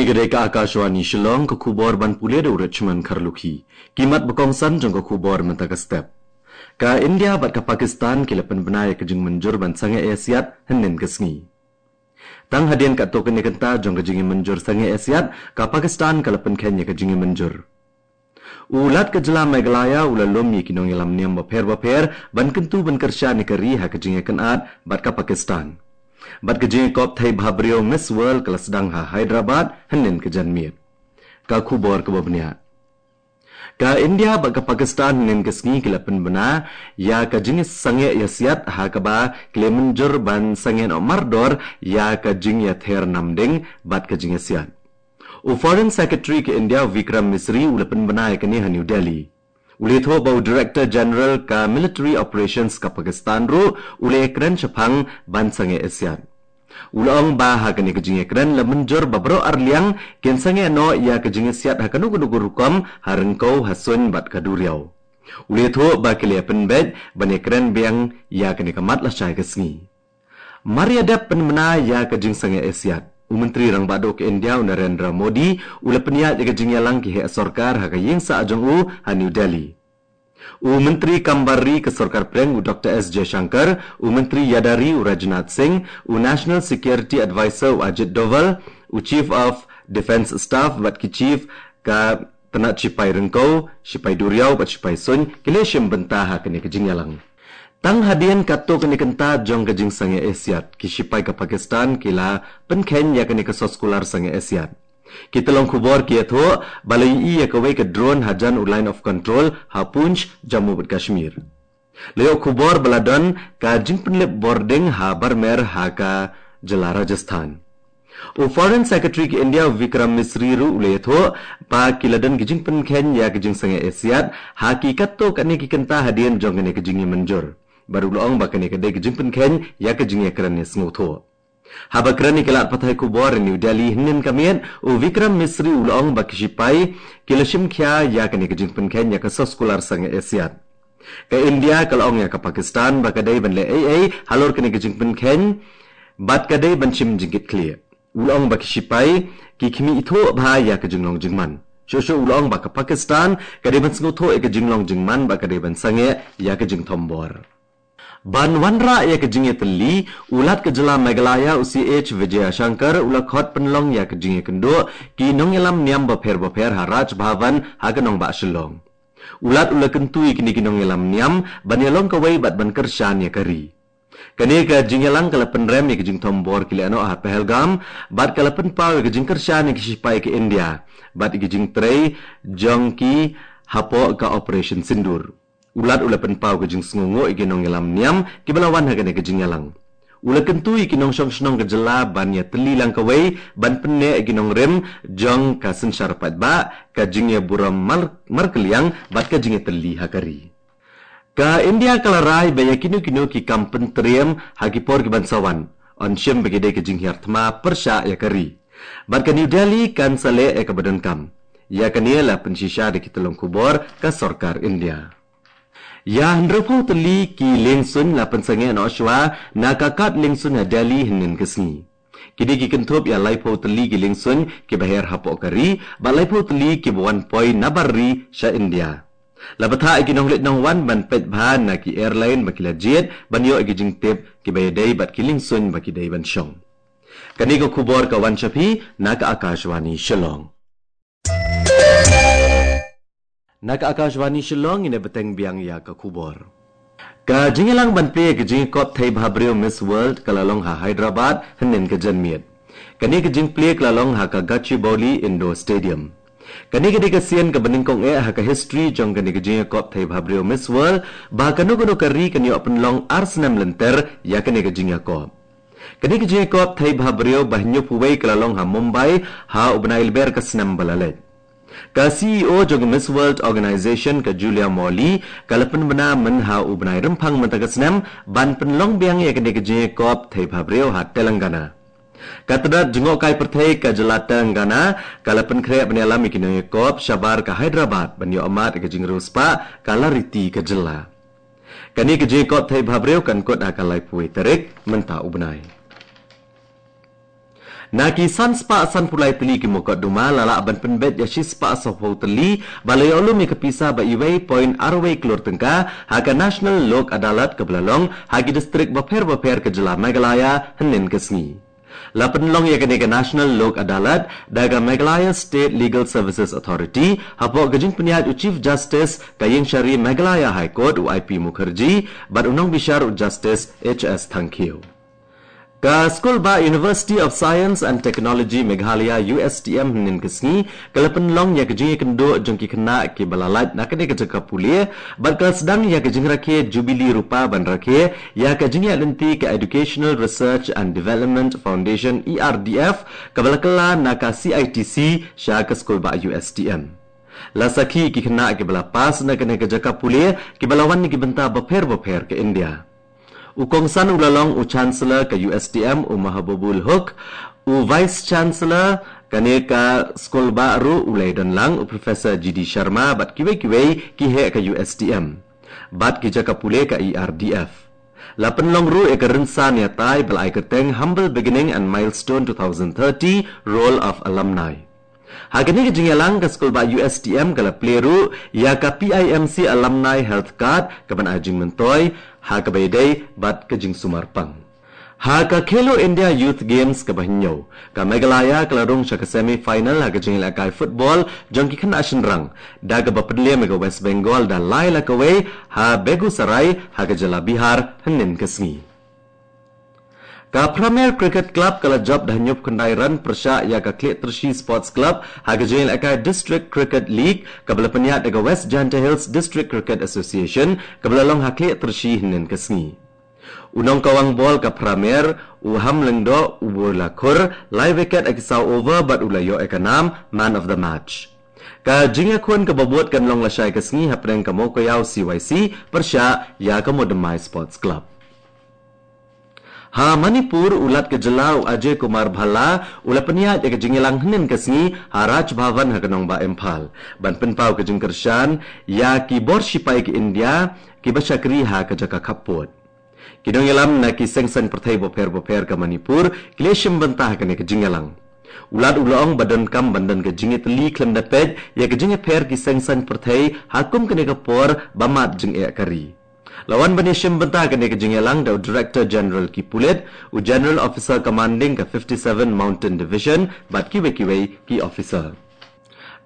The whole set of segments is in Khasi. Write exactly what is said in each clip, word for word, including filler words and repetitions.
Ka dei ka Akashvani Shillong, ka khubor ban pule da u Richmond Kharlukhi. Ki mat ba kongsan jong ka khubor mynta ka step. Ka India bad ka Pakistan ki la pynbna ïa ka jingmynjur ban sangeh ïasiat hynnin ka sngi. Tang hadien katto katne kynta jong ka jingïamynjur sangeh ïasiat, ka Pakistan ka la pynkheiñ ïa ka jingïamynjur. U Lat ka jylla Meghalaya u la lum ïa ki nongïalam niam bapher bapher ban kyntu ban kyrshan ïa ka ri ha ka jingïakynad bad ka Pakistan. Bad ka jingïakop thei bhabriew Miss World ka la sdang ha Hyderabad hynnin ka janmiet. Ka khubor kaba bniah. Ka India bad ka Pakistan hynnin ka sngi ki la pynbna ïa ka jingsangeh ïasiat ha kaba ki la mynjur ban sangeh noh mardor ïa ka jingïather namding bad ka jingïasiat. U Foreign Secretary ka India Vikram Misri u la pynbna ïa kane ha New Delhi. U la ïathuh ba u Director General ka Military Operations ka Pakistan ruh u la ïakren shaphang ban sangeh ïasiat. U la ong ba ha kane ka jingïakren la mynjur ba baroh arliang kin sangeh noh ïa ka jingïasiat ha kano kano ka rukom, ha ryngkew, ha suiñ bad ka duriaw. U la ïathuh ba ki la pynbeit ban ïakren biang ïa kane ka mat lashai ka sngi. Mar ïa dep pynbna ïa ka jingsangeh ïasiat, u Myntri Rangbah Duh ka India u Narendra Modi u la pynïaid ïa ka jingïalang ki heh sorkar ha ka ïingsah jong u ha New Delhi. U Myntri Kam Bar Ri ka Sorkar Pdeng u Doctor S Jaishankar, u Myntri Ïada Ri u Rajnath Singh, u National Security Advisor u Ajit Doval, u Chief of Defence Staff bad ki Chief ka tnat shipai ryngkew, shipai duriaw bad shipai suiñ ki la shim bynta ha kane ka jingïalang. Tang hadien katto katne kynta jong ka jingsangeh ïasiat, ki shipai ka Pakistan ki la pynkheiñ ïa kane ka soskular sangeh ïasiat. Ki tyllong khubor ki ïathuh ba la ïohi ïa kawei ka drone hajan u Line of Control ha Poonch, Jammu bad Kashmir. La ïoh khubor ba la don ka jingpynlip bording ha Barmer ha ka jylla Rajasthan. U Foreign Secretary ka India u Vikram Misri ruh u la ïathuh ba ki la don ka jingpynkheiñ ïa ka jingsangeh ïasiat ha ki katto katne ki kynta hadien jong kane ka jingïamynjur. Bad u la ong ba kane ka dei ka jingpynkheiñ ïa ka jingïakren ïasngewthuh. Haba kren ïa ki lad pathai khubor ha New Delhi hynnin ka miet, u Vikram Misri u la ong ba ki shipai ki la shim khia ïa kane ka jingpynkheiñ ïa ka soskular sangeh ïasiat. Ka India ka la ong ïa ka Pakistan ba ka dei ban leh ei ei halor kane ka jingpynkheiñ bad ka dei ban shim jingkitkhlieh. U la ong ba ki shipai ki khmih ithuh bha ïa ka jinglong jingman. Shuh shuh u la ong ba ka Pakistan ka dei ban sngewthuh ïa ka jinglong jingman bad ka dei ban sangeh ïa ka jingthombor. Ban wanrah ïa ka jingïatylli, u Lat ka jylla Meghalaya u C H Vijayashankar u la khot pynlong ïa ka jingïakynduh ki nongïalam niam bapher bapher ha Raj Bhavan ha ka nongbah Shillong. U Lat u la kyntu ïa kine ki nongïalam niam ban ïalong kawei bad ban kyrshan ïa ka ri. Kane ka jingïalang ka la pynrem ïa ka jingthombor ki lehnoh ha Pahalgam bad ka la pynpaw ïa ka jingkyrshan ïa ki shipai ka India bad ïa ka jingtrei jong ki hapoh ka Operation Sindoor. U Lat u la pynpaw ka jingsngewnguh ïa ki nongïalam niam kiba la wan ha kane ka jingïalang. U la kyntu ïa ki nongshong shnong ka jylla ban ïatylli lang kawei ban pynneh ïa ki nongrim jong ka synshar paidbah, ka jingïaburom mar, markylliang bad ka jingïatylli ha ka ri. Ka India ka la rai ba ïa kino kino ki kam pyntriem ha ki por kiban sa wan yn shim ba ki dei ka jinghiar thma pyrshah ïa ka ri. Bad ka New Delhi kan sa leh ïa kaba donkam. Ïa kane la pynshisha da ki tyllong khubor ka sorkar India. Ïa hynriewphew tylli ki liengsuiñ la pynsangeh noh shwa na ka kad liengsuiñ ha Delhi hynnin ka sngi. Kine ki kynthup ïa laiphew tylli ki liengsuiñ kiba her hapoh ka ri bad laiphew tylli kiba wan poi na bar ri sha India. La bthah ïa ki nongleit nongwan ban peit bha na ki airline ba ki la jied ban ïoh ïa ki jingtip kiba ïadei bad ki liengsuiñ ba ki dei ban shong. Kane ka khubor ka wan sha phi na ka Akashvani Shillong. Na ka Akashvani Shillong ngin ïa bteng biang ïa ka khubor. Ka jingïalang ban plie ka jingïakop thei bhabriew Miss World ka la long ha Hyderabad hynnin ka janmiet. Kane ka jingplie ka la long ha ka Gachibowli Indoor Stadium. Kane ka dei ka sien kaba nyngkong eh ha ka history jong kane ka jingïakop thei bhabriew Miss World ba kano kano ka ri kan ïoh pynlong ar snem lynter ïa kane ka jingïakop. Kane ka jingïakop thei bhabriew ba hynñiewphew wei ka la long ha Mumbai ha u bnai Lber ka snem ba la leit. Ka C E O jong ka Miss World Organization ka Julia Morley ka la pynbna mynha u bnai Rymphang mynta ka snem ban pynlong biang ïa kane ka jingïakop thei bhabriew ha Telangana. Ka tnat jngohkai pyrthei ka jylla Telangana ka la pynkhreh ban ïalam ïa ki nongïakop shabar ka Hyderabad ban ïoh mad ïa ka jingriewspah ka lariti ka jylla. Kane ka jingïakop thei bhabriew kan kut ha ka laiphew wei tarik mynta u bnai. Na ki san spah san phew lai tylli ki mukotduma la lah ban pynbeit ïa shi spah saw phew tylli, ba la ïoh lum ïa ka pisa ba iwei point ar wei klur tyngka ha ka National Lok Adalat kaba la long ha ki distrik bapher bapher ka jylla Meghalaya hynnin ka sngi. La pynlong ïa kane ka National Lok Adalat da ka Meghalaya State Legal Services Authority hapoh ka jingpynïaid u Chief Justice ka Ïingshari Meghalaya High Court u I P Mukherjee bad u nongbishar u Justice H S Thangkhiew. Ka Skulbah University of Science and Technology Meghalaya, U S T M, hynnin ka sngi ka la pynlong ïa ka jingïakynduh jong ki khynnah kiba la lait na kane ka jaka pule bad ka la sdang ïa ka jingrakhe Jubilee Rupa ban rakhe ïa ka jingïaid lynti ka Educational Research and Development Foundation, E R D F, kaba la kylla na ka C I T C sha ka Skulbah U S T M. La sakhi ki khynnah kiba la pass na kane ka jaka pule kiba la wan na ki bynta bapher bapher ka India. U kongsan u la long u Chancellor ka U S T M u Mahbubul Hoque, u Vice Chancellor kane ka Skulbah ruh u la ïadon lang, u Professor G D Sharma bad kiwei kiwei ki heh ka U S T M bad ki jaka pule ka E R D F. La pynlong ruh ïa ka rynsan ïatai ba la ai kyrteng Humble Beginning and Milestone two thousand thirty Role of Alumni. Ha kane ka jingïalang ka Skulbah U S T M ka la plie ruh ïa ka P I M C Alumni Health Card kaban ai jingmyntoi ha kaba ïadei bad ka jingsumar pang. Ha ka Khelo India Youth Games kaba hynñiew, ka Meghalaya ka la rung sha ka semi final ha ka jingïalehkai football jong ki khynnah shynrang da kaba pynliem ïa ka West Bengal da lai la kawei ha Begusarai ha ka jylla Bihar hynnin ka sngi. Ka Premier Cricket Club ka la jop da hynñiewphew khyndai run pyrshah ïa ka Khliehtyrshi Sports Club ha ka jingïalehkai District Cricket League kaba la pynïaid da ka West Jaintia Hills District Cricket Association kaba la long ha Khliehtyrshi hynnin ka sngi. U nongkawang bol ka Premier, u Hamlyngdoh Wolakhur, la ai wicket ha ki saw over bad u la ïoh ïa ka nam Man of the Match. Ka jingïakhun kaba bud kan long lashai ka sngi hapdeng ka Mowkaiaw C Y C pyrshah ïa ka Mowdymmai Sports Club. Ha Manipur, u Lat ka jylla u Ajay Kumar Bhalla u la pynïaid ïa ka jingïalang hynnin ka sngi ha Raj Bhavan ha ka nongbah Imphal ban pynpaw ka jingkyrshan ïa ki bor shipai ka India kiba shakri ha ka jaka khappud. Ki nongïalam na ki seng saiñ pyrthei bapher bapher ka Manipur ki la shim bynta ha kane ka jingïalang. U Lat u la ong ba donkam ban don ka jingïatylli khlem da peit ïa ka jingïapher ki seng saiñ pyrthei ha kum kane ka por ba mad jingeh ka ri. La wan ban ïashim bynta kane ka jingïalang da u Director General ki pulit, u General Officer Commanding ka fifty-seven Mountain Division bad kiwei kiwei ki officer.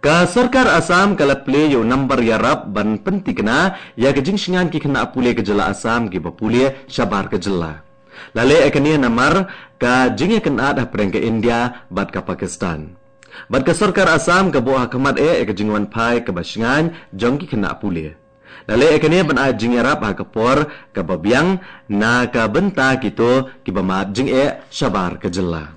Ka sorkar Assam ka la plie ïa u nambar ïarap ban pynthikna ïa ka jingshngaiñ ki khynnah pule ka jylla Assam kiba pule shabar ka jylla. La leh ïa kane namar ka jingïakynad hapdeng ka India bad ka Pakistan. Bad ka sorkar Assam ka buh ha khmat eh ïa ka jingwanphai kaba shngaiñ jong ki khynnah pule. La leh ïa kane ban ai jingïarap ha ka por kaba biang na ka bynta kito kiba mad jingeh shabar ka jylla.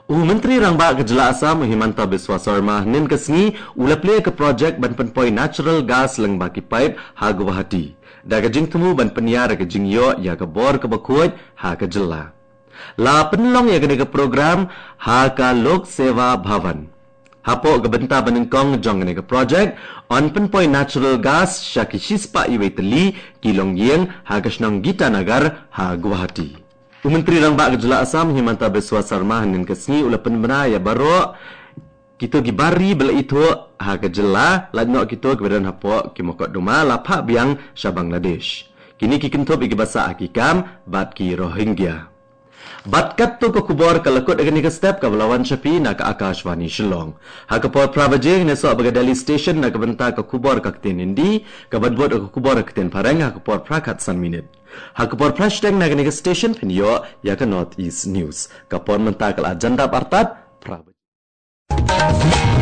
U Myntri Rangbah ka jylla Assam u Himanta Biswa Sarma hynnin ka sngi u la plie ka projek ban pynpoi natural gas lyngba ki paip ha Guwahati da ka jingthmu ban pynïar ïa ka jingïoh ïa ka bor kaba khuid ha ka jylla. La pynlong ïa kane ka program ha ka Lok Seva Bhavan. Hapoh ka bynta banyngkong jong kane ka projek, yn pynpoi natural gas sha ki shispah iwei tylli ki longïing ha ka shnong Gitanagar ha Guwahati. U Myntri Rangbah ka jylla Assam Himanta Biswa Sarma hynnin ka sngi u la pynbna ïa baroh kito ki bar ri ba la ithuh ha ka jylla, lait noh kito kiba don hapoh ki mokotduma la phah biang sha Bangladesh. Kine ki kynthup ïa kiba sah ha ki kam bad ki Rohingya. Bad katto ka khubor ka la kut ha kane ka step kaba la wan sha phi na ka Akashvani Shillong. Ha ka por phra baje ngin ïasoh bad ka Delhi Station na ka bynta ka khubor ka ktien Hindi, kaban bud ka khubor ka ktien Phareng ha ka por phra khatsan minit. Ha ka por phra shiteng na kane ka station phin ïoh ïa ka North East News. Ka por mynta ka la jan dap artat phra baje.